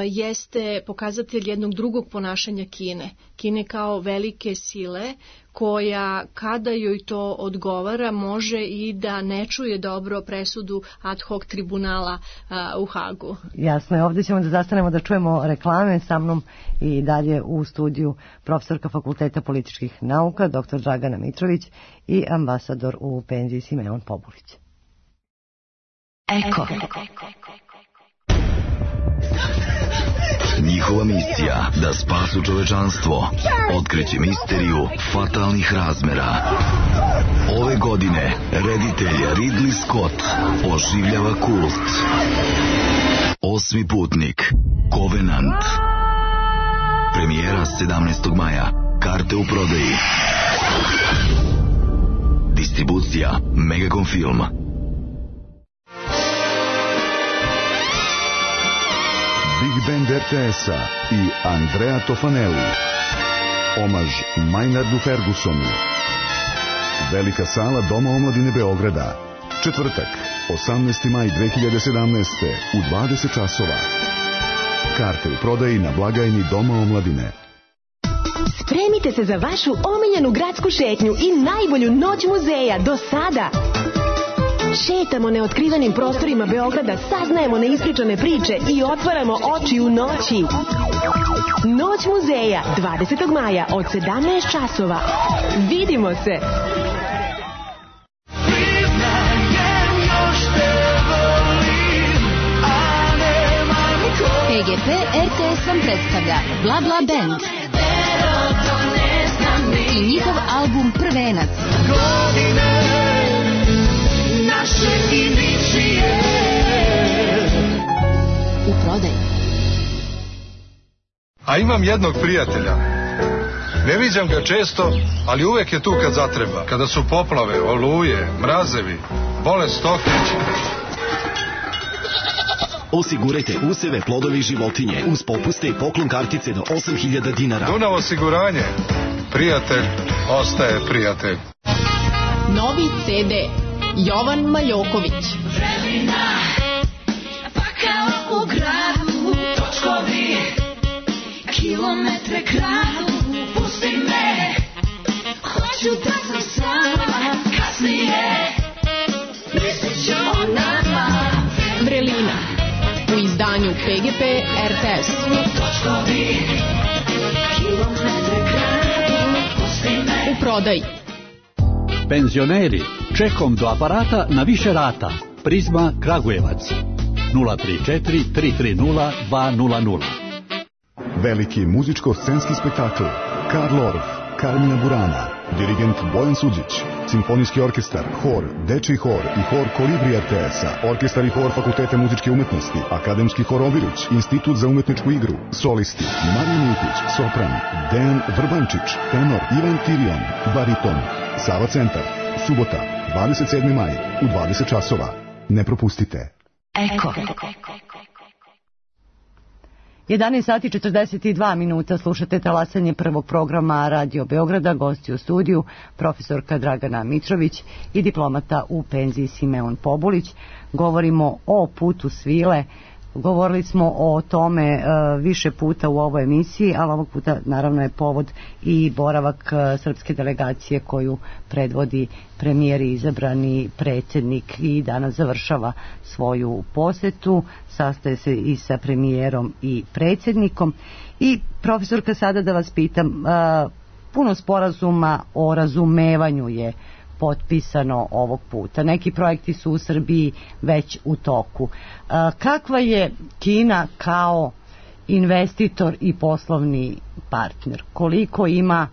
jeste pokazatelj jednog drugog ponašanja Kine. Kine kao velike sile koja kada joj to odgovara može i da ne čuje dobro presudu ad hoc tribunala a, u Hagu. Jasno je, ovdje ćemo da zastanemo da čujemo reklame. Sa mnom i dalje u studiju profesorka Fakulteta političkih nauka doktor Dragana Mitrović i ambasador u penziji Simeon Pobulić. Eko. Njihova misija da spasu čovečanstvo, otkriće misteriju fatalnih razmera. Ove godine reditelj Ridley Scott oživljava kult. Osmi putnik, Covenant. Premijera sedamnaestog maja. Karte u prodaji. Distribucija Megacom Film. Big Band R T S-a i Andrea Tofanelli. Omaž Maynardu Fergusonu. Velika sala Doma omladine Beograda. Četvrtak, osamnaesti maj dve hiljade sedamnaeste. u dvadeset časova. Karte u prodaji na blagajni Doma omladine. Spremite se za vašu omiljenu gradsku šetnju i najbolju noć muzeja do sada. Šetamo neotkrivenim prostorima Beograda, saznajemo neispričane priče i otvaramo oči u noći. Noć muzeja, dvadesetog maja od sedamnaest časova. Vidimo se! P G P R T S vam predstavlja Bla Bla Band i njihov album Prvenac. Naše i A imam jednog prijatelja. Ne viđam ga često, ali uvek je tu kad zatreba. Kada su poplave, oluje, mrazevi, bolest stoke. Osigurajte useve, plodove i životinje uz popuste i poklon kartice do osam hiljada dinara. Dunav osiguranje. Prijatelj ostaje prijatelj. Novi ce de Jovan Maljoković. Vremena, pakao u gradu, točkovi, kilometre kradu, pusti me, hoću da sam sama, kasnije, mislit ću o nama. Vrelina u izdanju pe ge pe er te es. Točkovi, kilometre kradu, pusti me. U prodaji. Penzioneri, čekom do aparata na više rata. Prizma Kragujevac. nula tri četiri tri tri nula dva nula nula. Veliki muzičko-scenski spektakl Karl Orff, Carmina Burana, dirigent Bojan Suđić, simfonijski orkestar, hor, dečiji hor i hor Kolibri er te es-a, orkestar i hor Fakulteta muzičke umetnosti, akademski hor Oviruć, institut za umetničku igru, solisti, Marija Miltić, sopran, Dejan Vrbančić, tenor, Ivan Tirion, bariton, Sava centar, subota, dvadeset sedmi maj, u dvadeset časova. Ne propustite. Eko. jedanaest sati četrdeset dva minuta, slušate talasanje prvog programa Radio Beograda, gosti u studiju profesorka Dragana Mitrović i diplomata u penziji Simeon Pobulić. Govorimo o putu svile, govorili smo o tome e, više puta u ovoj emisiji, ali ovog puta naravno je povod i boravak e, srpske delegacije koju predvodi premijer i izabrani predsjednik i danas završava svoju posetu, sastaje se i sa premijerom i predsjednikom. I profesorka, sada da vas pitam, e, puno sporazuma o razumevanju je potpisano ovog puta. Neki projekti su u Srbiji već u toku. Kakva je Kina kao investitor i poslovni partner? Koliko ima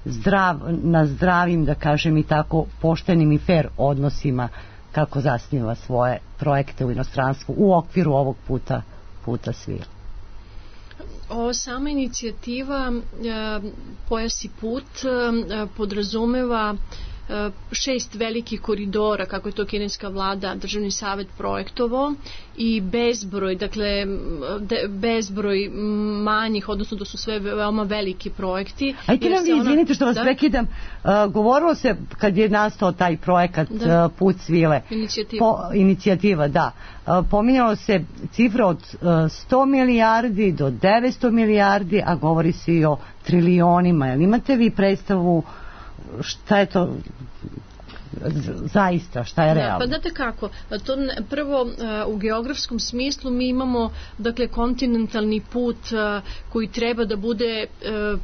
zdrav, na zdravim, da kažem i tako, poštenim i fair odnosima kako zasniva svoje projekte u inostranstvu u okviru ovog puta, puta svila? O, sama inicijativa Pojas i put podrazumeva šest velikih koridora, kako je to kineska vlada, državni savjet projektovao, i bezbroj, dakle de, bezbroj manjih, odnosno da su sve veoma veliki projekti. Ajte nam vi, izvinite što vas da? prekidam, uh, govorilo se kad je nastao taj projekat da. uh, Put svile, inicijativa, po, inicijativa da, uh, pominjalo se cifra od uh, sto milijardi do devetsto milijardi, a govori se i o trilionima. Jel imate vi predstavu šta je to zaista, šta je realno? Da, pa znate kako, to ne, prvo u geografskom smislu mi imamo, dakle, kontinentalni put koji treba da bude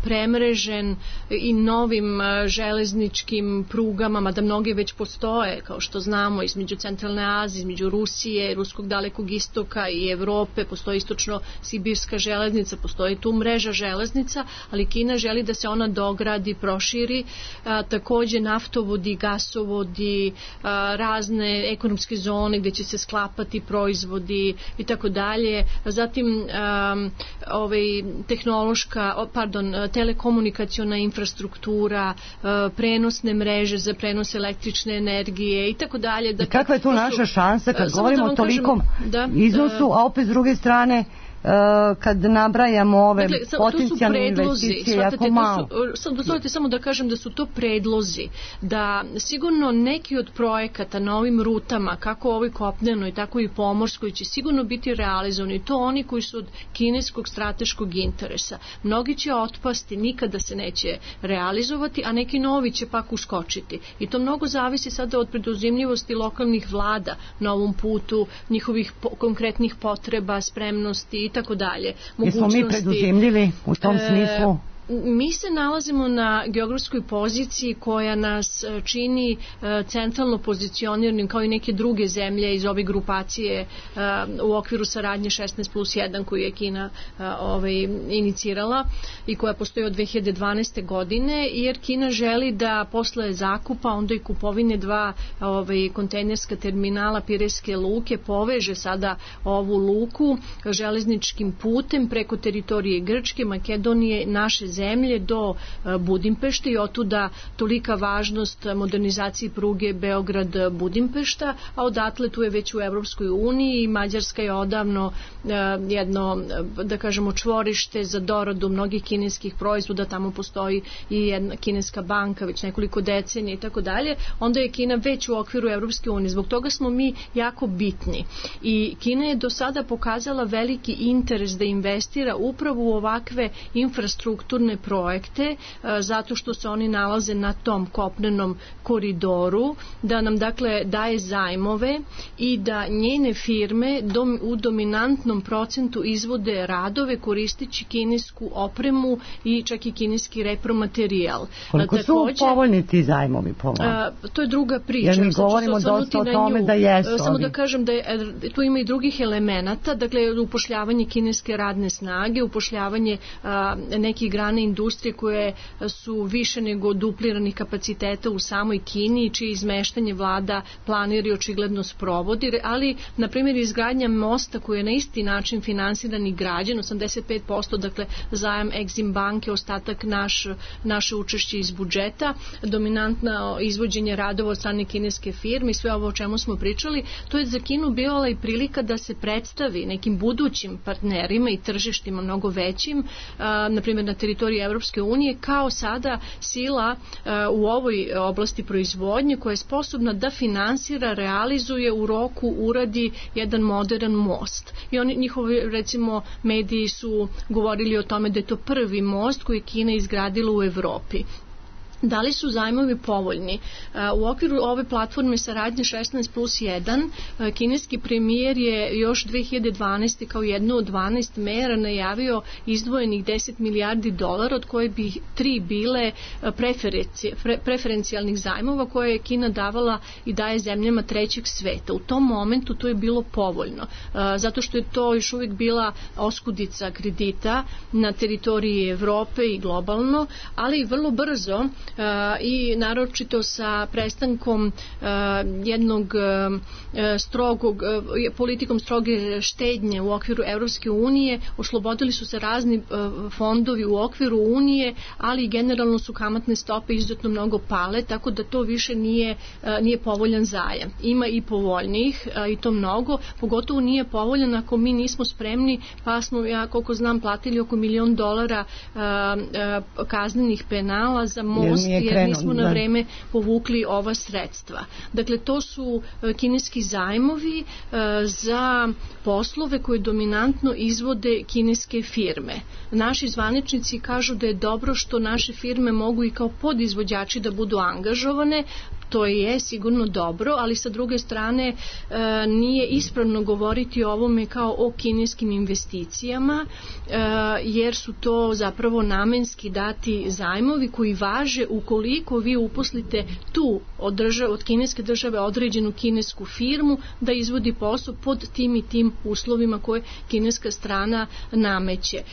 premrežen i novim železničkim prugama, mada mnoge već postoje, kao što znamo, između Centralne Azije, između Rusije, Ruskog dalekog istoka i Evrope, postoji istočno-sibirska železnica, postoji tu mreža železnica, ali Kina želi da se ona dogradi, proširi, a, takođe naftovodi, gasovodi, razne ekonomske zone gdje će se sklapati proizvodi i tako dalje. Zatim um, ovaj, tehnološka, pardon, telekomunikaciona infrastruktura, uh, prenosne mreže za prenos električne energije i tako dalje. I kakva je tu naša šansa kad govorimo o tolikom da, iznosu, a opet s druge strane kad nabrajamo ove dakle, potencijalne investicije jako malo. Sad dozvolite samo da kažem da su to predlozi, da sigurno neki od projekata na ovim rutama, kako ovoj kopnenoj, tako i pomorskoj, će sigurno biti realizovani. To oni koji su od kineskog strateškog interesa. Mnogi će otpasti, nikada se neće realizovati, a neki novi će pak uskočiti. I to mnogo zavisi sada od preduzimljivosti lokalnih vlada na ovom putu, njihovih po, konkretnih potreba, spremnosti i tako dalje. Jesmo mi preduzimljivi u tom e, smislu? mi se nalazimo na geografskoj poziciji koja nas čini centralno pozicioniranim kao i neke druge zemlje iz ove grupacije u okviru saradnje šesnaest plus jedan koju je Kina ovaj, inicirala i koja postoji od dve hiljade dvanaeste. godine, jer Kina želi da posle zakupa onda i kupovine dva ovaj, kontejnerska terminala Pirejske luke poveže sada ovu luku železničkim putem preko teritorije Grčke, Makedonije, naše zemlje do Budimpešte i otuda tolika važnost modernizaciji pruge Beograd-Budimpešta, a odatle tu je već u Evropskoj uniji i Mađarska je odavno jedno, da kažemo, čvorište za doradu mnogih kineskih proizvoda, tamo postoji i jedna kineska banka već nekoliko decenija i tako dalje, onda je Kina već u okviru Evropske unije. Zbog toga smo mi jako bitni i Kina je do sada pokazala veliki interes da investira upravo u ovakve infrastrukturne projekte, zato što se oni nalaze na tom kopnenom koridoru, da nam dakle daje zajmove i da njene firme dom, u dominantnom procentu izvode radove koristeći kinesku opremu i čak i kineski repromaterijal. Koliko su povoljni ti zajmovi po vam? To je druga priča. Jer mi govorimo dosta o tome da jesu. Samo da kažem da je, tu ima i drugih elemenata, dakle upošljavanje kineske radne snage, upošljavanje a, nekih grana industrije koje su više nego dupliranih kapaciteta u samoj Kini, čije izmeštanje vlada planira i očigledno sprovodi, ali na primjer izgradnja mosta koji je na isti način finansiran i građen, osamdeset pet posto dakle zajam Exim banke, ostatak naš, naše učešće iz budžeta, dominantno izvođenje radova od strane kineske firme i sve ovo o čemu smo pričali, to je za Kinu bila i prilika da se predstavi nekim budućim partnerima i tržištima mnogo većim, a, na primjer na teritoriji Evropske unije, kao sada sila a, u ovoj oblasti proizvodnje koja je sposobna da finansira, realizuje u roku, uradi jedan modern most. I oni, njihovi recimo mediji su govorili o tome da je to prvi most koji je Kina izgradila u Evropi. Da li su zajmovi povoljni? U okviru ove platforme saradnje šesnaest plus jedan kineski premijer je još dve hiljade dvanaeste. kao jednu od dvanaest mera najavio izdvojenih deset milijardi dolara, od koje bi tri bile preferencijalnih zajmova koje je Kina davala i daje zemljama trećeg sveta. U tom momentu to je bilo povoljno, zato što je to još uvijek bila oskudica kredita na teritoriji Evrope i globalno, ali vrlo brzo Uh, i naročito sa prestankom uh, jednog uh, strogog, uh, politikom stroge štednje u okviru Evropske unije, oslobodili su se razni uh, fondovi u okviru Unije, ali generalno su kamatne stope izuzetno mnogo pale, tako da to više nije, uh, nije povoljan zajam. Ima i povoljnih uh, i to mnogo, pogotovo nije povoljan ako mi nismo spremni, pa smo, ja koliko znam, platili oko milion dolara uh, uh, kaznenih penala za most jer nismo na vreme povukli ova sredstva. Dakle, to su kineski zajmovi za poslove koje dominantno izvode kineske firme. Naši zvaničnici kažu da je dobro što naše firme mogu i kao podizvođači da budu angažovane. To je sigurno dobro, ali sa druge strane e, nije ispravno govoriti o ovome kao o kineskim investicijama, e, jer su to zapravo namenski dati zajmovi koji važe ukoliko vi uposlite tu od, države, od kineske države određenu kinesku firmu da izvodi posao pod tim i tim uslovima koje kineska strana nameće. E,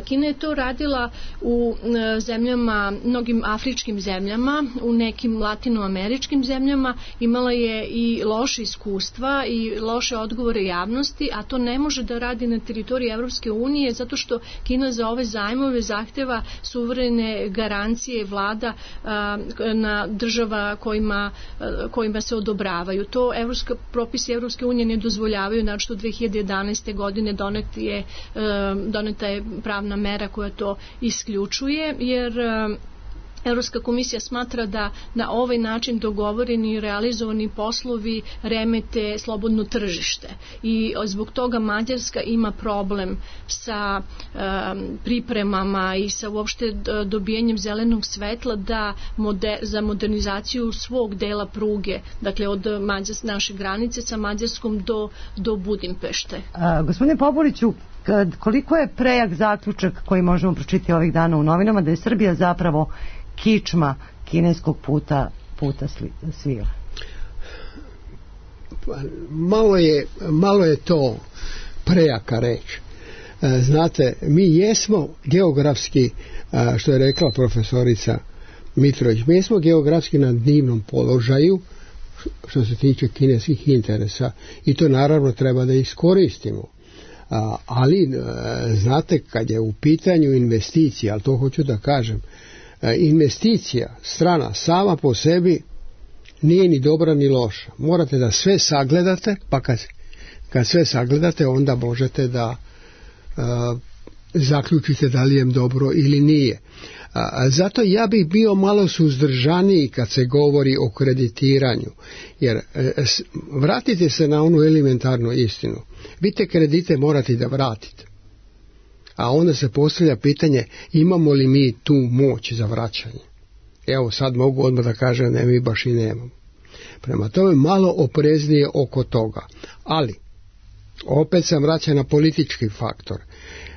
Kina je to radila u e, zemljama, mnogim afričkim zemljama, u nekim latinoameričkim zemljama, imala je i loše iskustva i loše odgovore javnosti, a to ne može da radi na teritoriji Evropske unije zato što Kina za ove zajmove zahteva suverene garancije vlada a, na država kojima, a, kojima se odobravaju. To evropska, propisi Evropske unije ne dozvoljavaju, znači od dve hiljade jedanaeste. godine donet je, a, doneta je pravna mera koja to isključuje, jer a, Evropska komisija smatra da na ovaj način dogovoreni i realizovani poslovi remete slobodno tržište i zbog toga Mađarska ima problem sa um, pripremama i sa uopšte dobijanjem zelenog svetla da moder, za modernizaciju svog dela pruge, dakle od Mađars, naše granice sa Mađarskom do, do Budimpešte. A, gospodine Poporiću, Kad, koliko je prejak zaključak koji možemo pročitati ovih dana u novinama da je Srbija zapravo kičma kineskog puta, puta svila? Malo je, malo je to prejaka reč. Znate, mi jesmo geografski, što je rekla profesorica Mitrović, mi jesmo geografski na divnom položaju što se tiče kineskih interesa i to naravno treba da iskoristimo. A, ali znate, kad je u pitanju investicija, ali to hoću da kažem, investicija strana sama po sebi nije ni dobra ni loša. Morate da sve sagledate, pa kad, kad sve sagledate onda možete da a, zaključite da li je dobro ili nije. A, zato ja bih bio malo suzdržaniji kad se govori o kreditiranju, jer e, s, vratite se na onu elementarnu istinu. Vi te kredite morate da vratite. A onda se postavlja pitanje, imamo li mi tu moć za vraćanje? Evo sad mogu odmah da kažem, ne, mi baš i nemamo. Prema tome malo opreznije oko toga. Ali, opet sam vraćan na politički faktor.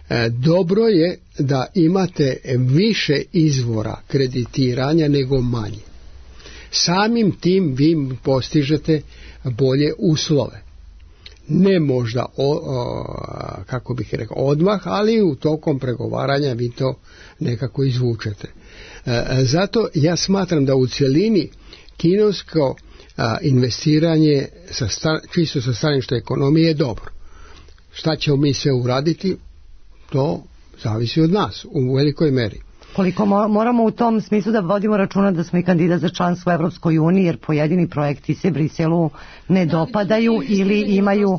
E, dobro je da imate više izvora kreditiranja nego manje. Samim tim vi postižete bolje uslove. Ne možda o, o, kako bih rekao odmah, ali u tokom pregovaranja vi to nekako izvučete. E, zato ja smatram da u cjelini kinesko a, investiranje sa stan, čisto sa stanovišta ekonomije je dobro. Šta ćemo mi sve uraditi, to zavisi od nas u velikoj meri. Koliko moramo u tom smislu da vodimo računa da smo i kandidat za članstvo u Evropskoj uniji, jer pojedini projekti se Briselu ne dopadaju ili imaju,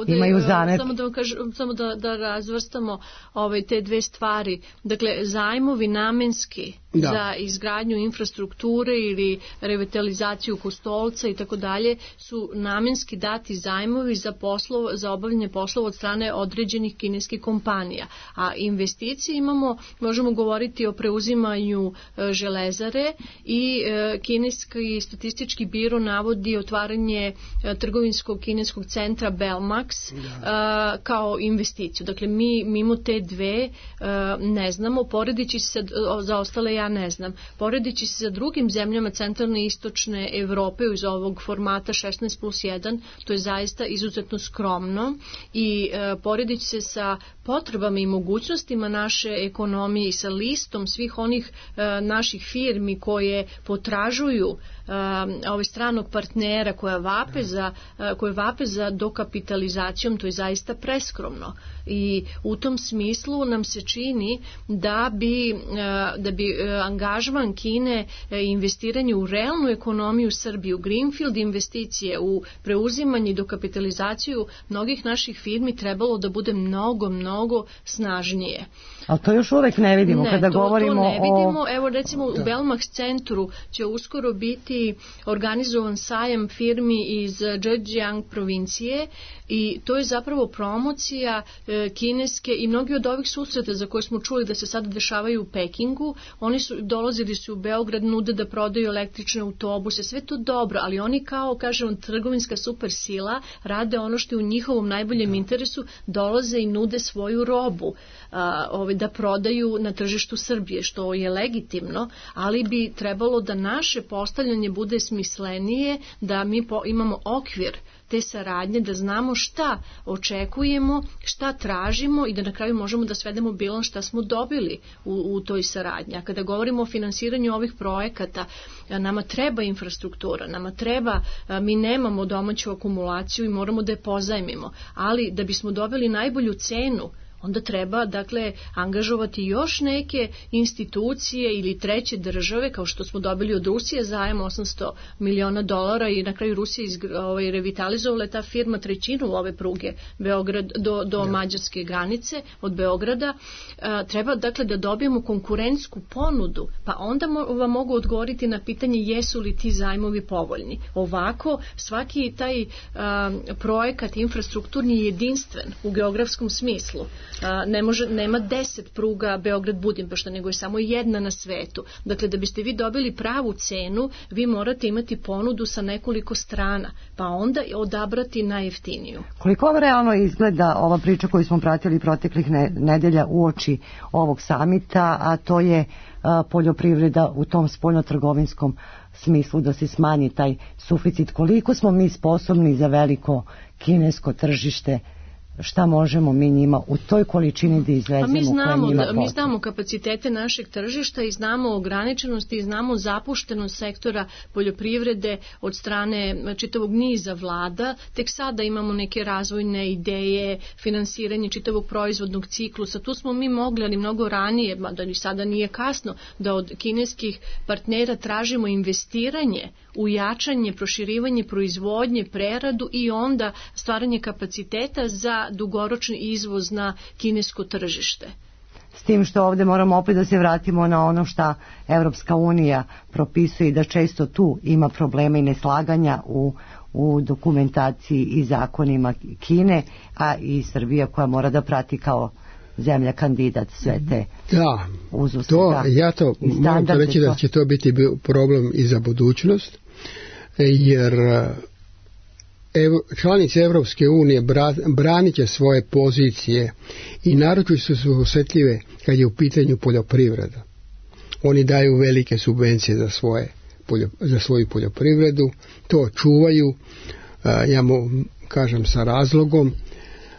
imaju zamer. Samo da, kažem, samo da, da razvrstamo ove, te dve stvari. Dakle, zajmovi namenski da. za izgradnju infrastrukture ili revitalizaciju Kostolca i tako dalje su namenski dati zajmovi za, poslov, za obavljanje poslova od strane određenih kineskih kompanija. A investicije imamo, možemo govoriti o preuzimanju e, železare i e, kineski statistički biro navodi otvaranje e, trgovinskog kineskog centra Belmax e, kao investiciju. Dakle, mi mimo te dve e, ne znamo, poredići se za ostale ja ne znam. Poredići se sa drugim zemljama centralne i istočne Evrope iz ovog formata šesnaest plus jedan, to je zaista izuzetno skromno i e, poredići se sa potrebama i mogućnostima naše ekonomije i sa listom svih onih e, naših firmi koje potražuju e, ovaj stranog partnera koja vape za, e, koje vape za dokapitalizacijom, to je zaista preskromno. I u tom smislu nam se čini da bi, e, da bi e, angažman Kine e, investiranje u realnu ekonomiju Srbije, u greenfield investicije, u preuzimanje i dokapitalizaciju mnogih naših firmi trebalo da bude mnogo, mnogo snažnije. Ali to još uvek ne vidimo ne, kada to, govorimo to ne vidimo. o... Evo recimo u Belmax centru će uskoro biti organizovan sajam firmi iz Zhejiang provincije i to je zapravo promocija e, kineske i mnogi od ovih susreta za koje smo čuli da se sada dešavaju u Pekingu, oni su dolazili su u Beograd, nude da prodaju električne autobuse, sve to dobro, ali oni kao, kažem, trgovinska super sila rade ono što je u njihovom najboljem interesu, dolaze i nude svoju robu a, ovaj, da prodaju na tržištu Srbije, što je legitimno, ali bi trebalo da naše postavljanje bude smislenije, da mi po, imamo okvir te saradnje, da znamo šta očekujemo, šta tražimo i da na kraju možemo da svedemo bilans šta smo dobili u, u toj saradnji. A kada govorimo o finansiranju ovih projekata, nama treba infrastruktura, nama treba, mi nemamo domaću akumulaciju i moramo da je pozajmimo, ali da bismo dobili najbolju cenu, onda treba, dakle, angažovati još neke institucije ili treće države, kao što smo dobili od Rusije zajam osamsto miliona dolara i na kraju Rusija ovaj, revitalizovala ta firma trećinu ove pruge Beograd do, do mađarske granice od Beograda. A, treba, dakle, da dobijemo konkurentsku ponudu, pa onda mo, vam mogu odgovoriti na pitanje jesu li ti zajmovi povoljni. Ovako, svaki taj a, projekat infrastrukturni je jedinstven u geografskom smislu. ne može, nema deset pruga Beograd-Budimpešta, nego je samo jedna na svetu. Dakle, da biste vi dobili pravu cenu, vi morate imati ponudu sa nekoliko strana, pa onda odabrati najjeftiniju. Koliko realno izgleda ova priča koju smo pratili proteklih nedelja uoči ovog samita, a to je a, poljoprivreda u tom spoljnotrgovinskom smislu da se smanji taj suficit. Koliko smo mi sposobni za veliko kinesko tržište, šta možemo mi njima u toj količini da izvezemo? Pa mi znamo, da, mi znamo kapacitete našeg tržišta i znamo ograničenosti i znamo zapuštenost sektora poljoprivrede od strane čitavog niza vlada. Tek sada imamo neke razvojne ideje, finansiranje čitavog proizvodnog ciklusa. Tu smo mi mogli, ali mnogo ranije, da ni sada nije kasno, da od kineskih partnera tražimo investiranje u jačanje, proširivanje proizvodnje, preradu i onda stvaranje kapaciteta za dugoročni izvoz na kinesko tržište. S tim što ovdje moramo opet da se vratimo na ono što Evropska unija propisuje i da često tu ima problema i neslaganja u, u dokumentaciji i zakonima Kine, a i Srbija koja mora da prati kao zemlja kandidat sve te da, uzuste. To, ja to moram to reći da će to biti problem i za budućnost, jer Evo, članice Evropske unije branit će svoje pozicije i naročito su osjetljive kad je u pitanju poljoprivreda. Oni daju velike subvencije za, svoje, za svoju poljoprivredu, to čuvaju, ja mu kažem sa razlogom,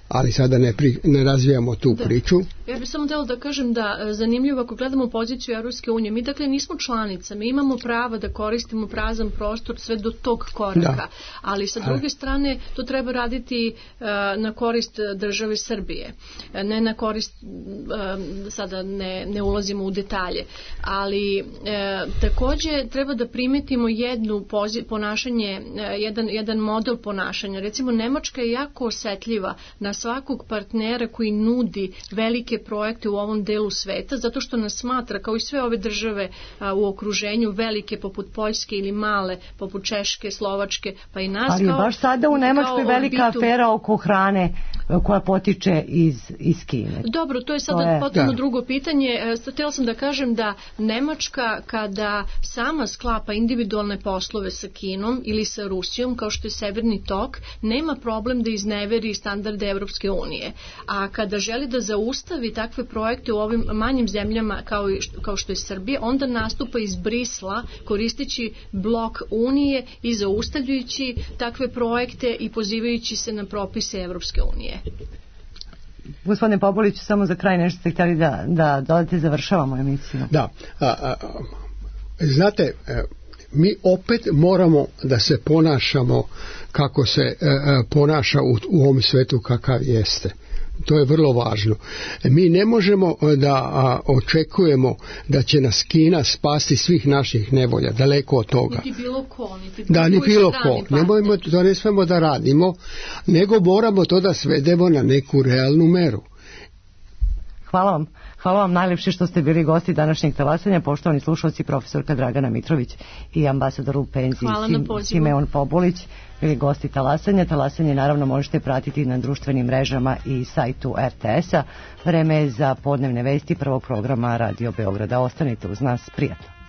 ali sada ne, pri, ne razvijamo tu da. priču. Ja bih samo htjela da kažem da zanimljivo ako gledamo poziciju Evropske unije, mi dakle nismo članica, mi imamo prava da koristimo prazan prostor sve do tog koraka, da. ali sa druge strane to treba raditi uh, na korist države Srbije, ne na korist, uh, sada ne, ne ulazimo u detalje, ali uh, također treba da primetimo jednu pozi, ponašanje, uh, jedan, jedan model ponašanja. Recimo Nemačka je jako osjetljiva na svakog partnera koji nudi velike projekte u ovom delu sveta, zato što nas smatra, kao i sve ove države a, u okruženju, velike poput Poljske ili male poput Češke, Slovačke, pa i nas. Ali kao, baš sada u Nemačkoj velika orbitu... afera oko hrane koja potiče iz, iz Kine. Dobro, to je sada to je... potpuno da. drugo pitanje. Htjela sam da kažem da Nemačka kada sama sklapa individualne poslove sa Kinom ili sa Rusijom, kao što je Severni tok, nema problem da izneveri standarde Evropske unije. A kada želi da zaustavi takve projekte u ovim manjim zemljama kao, i, kao što je Srbija, onda nastupa iz Brisla koristeći blok Unije i zaustavljajući takve projekte i pozivajući se na propise Evropske unije. Gospodine Popolić, samo za kraj nešto ste htjeli da, da dodate, završavamo emisiju. Da, a, a, znate, mi opet moramo da se ponašamo kako se a, ponaša u, u ovom svetu kakav jeste. To je vrlo važno. Mi ne možemo da a, očekujemo da će nas Kina spasti svih naših nevolja, daleko od toga. Niti bilo ko, niti bilo da, ni bilo ko. Nemojmo, to ne smemo da radimo, nego moramo to da svedemo na neku realnu meru. Hvala vam. Hvala vam najlepše što ste bili gosti današnjeg talasanja, poštovani slušalci, profesorka Dragana Mitrović i ambasador u penziji Simeon Popolić bili gosti talasanja. Talasanje naravno možete pratiti na društvenim mrežama i sajtu er te es a. Vreme je za podnevne vesti prvog programa Radio Beograda. Ostanite uz nas, prijatno.